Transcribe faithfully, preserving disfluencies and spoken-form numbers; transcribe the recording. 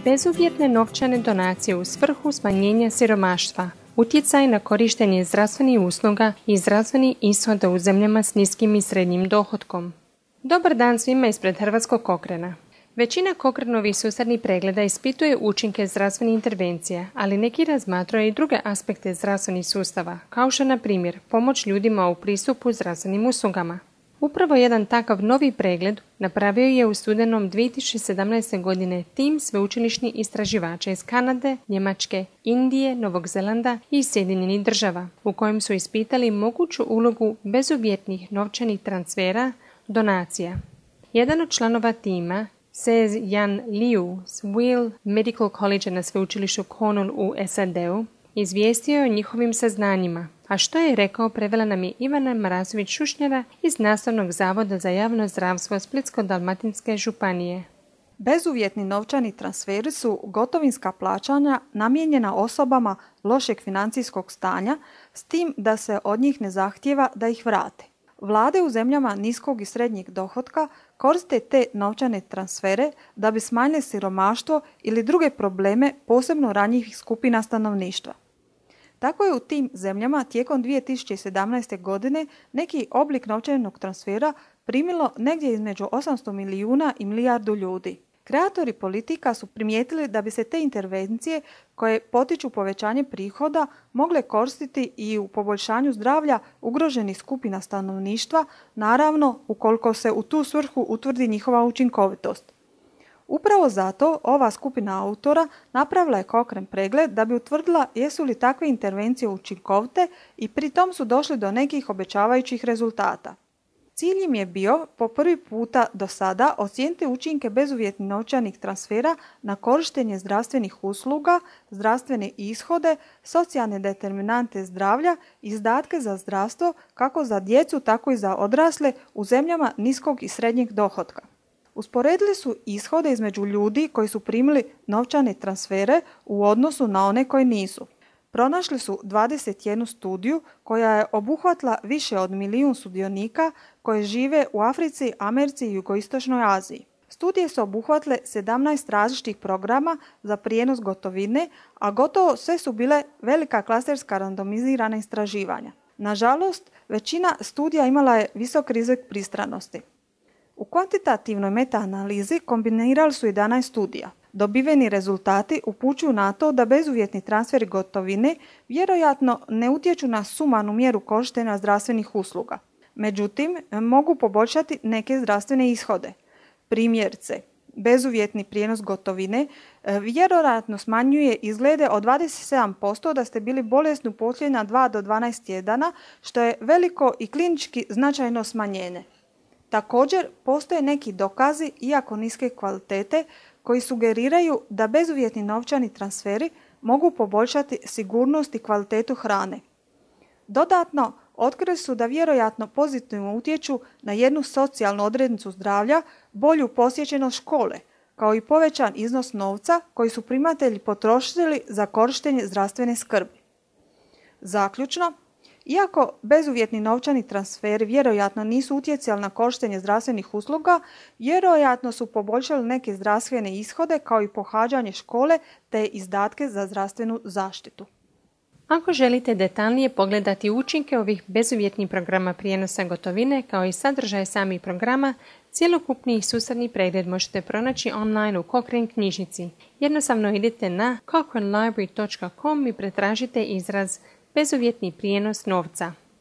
Bezuvjetne novčane donacije u svrhu smanjenja siromaštva, utjecaj na korištenje zdravstvenih usluga i zdravstveni ishod u zemljama s niskim i srednjim dohotkom. Dobar dan svima ispred Hrvatskog Cochrana. Većina Cochranovih sustavnih pregleda ispituje učinke zdravstvenih intervencija, ali neki razmatraju i druge aspekte zdravstvenih sustava, kao što na primjer pomoć ljudima u pristupu zdravstvenim uslugama. Upravo jedan takav novi pregled napravio je u studenom dvije tisuće sedamnaeste. godine tim sveučilišnih istraživača iz Kanade, Njemačke, Indije, Novog Zelanda i Sjedinjenih država, u kojem su ispitali moguću ulogu bezuvjetnih novčanih transfera, donacija. Jedan od članova tima, Se-Jan Liu s Weill Medical College na sveučilištu Cornell u S A D-u, izvijestio je o njihovim saznanjima, a što je rekao prevela nam je Ivana Marasović-Šušnjara iz Nastavnog zavoda za javno zdravstvo Splitsko-dalmatinske županije. Bezuvjetni novčani transferi su gotovinska plaćanja namijenjena osobama lošeg financijskog stanja, s tim da se od njih ne zahtijeva da ih vrate. Vlade u zemljama niskog i srednjeg dohotka koriste te novčane transfere da bi smanjile siromaštvo ili druge probleme posebno ranjivih skupina stanovništva. Tako je u tim zemljama tijekom dvije tisuće sedamnaeste. godine neki oblik novčanog transfera primilo negdje između osamsto milijuna i milijardu ljudi. Kreatori politika su primijetili da bi se te intervencije koje potiču povećanje prihoda mogle koristiti i u poboljšanju zdravlja ugroženih skupina stanovništva, naravno ukoliko se u tu svrhu utvrdi njihova učinkovitost. Upravo zato ova skupina autora napravila je Cochrane pregled da bi utvrdila jesu li takve intervencije učinkovite i pri tom su došli do nekih obećavajućih rezultata. Cilj im je bio po prvi puta do sada ocijeniti učinke bezuvjetnih novčanih transfera na korištenje zdravstvenih usluga, zdravstvene ishode, socijalne determinante zdravlja i izdatke za zdravstvo kako za djecu tako i za odrasle u zemljama niskog i srednjeg dohotka. Usporedili su ishode između ljudi koji su primili novčane transfere u odnosu na one koji nisu. Pronašli su dvadeset jednu studiju koja je obuhvatila više od milijun sudionika koji žive u Africi, Americi i Jugoistočnoj Aziji. Studije su obuhvatile sedamnaest različitih programa za prijenos gotovine, a gotovo sve su bile velika klasterska randomizirana istraživanja. Nažalost, većina studija imala je visok rizik pristranosti. U kvantitativnoj metaanalizi kombinirali su jedanaest studija. Dobiveni rezultati upućuju na to da bezuvjetni transferi gotovine vjerojatno ne utječu na sumanu mjeru korištenja zdravstvenih usluga. Međutim, mogu poboljšati neke zdravstvene ishode. Primjerice, bezuvjetni prijenos gotovine vjerojatno smanjuje izglede od dvadeset sedam posto da ste bili bolesni u posljednja dva do dvanaest tjedana, što je veliko i klinički značajno smanjenje. Također, postoje neki dokazi, iako niske kvalitete, koji sugeriraju da bezuvjetni novčani transferi mogu poboljšati sigurnost i kvalitetu hrane. Dodatno, otkrili su da vjerojatno pozitivno utječu na jednu socijalnu odrednicu zdravlja, bolju posjećenost škole, kao i povećan iznos novca koji su primatelji potrošili za korištenje zdravstvene skrbi. Zaključno, iako bezuvjetni novčani transferi vjerojatno nisu utjecali na korištenje zdravstvenih usluga, vjerojatno su poboljšali neke zdravstvene ishode kao i pohađanje škole te izdatke za zdravstvenu zaštitu. Ako želite detaljnije pogledati učinke ovih bezuvjetnih programa prijenosa gotovine kao i sadržaj samih programa, cjelokupni sustavni pregled možete pronaći online u Cochrane knjižnici. Jednostavno idete na cochrane library dot com i pretražite izraz bezuvjetni prijenos novca.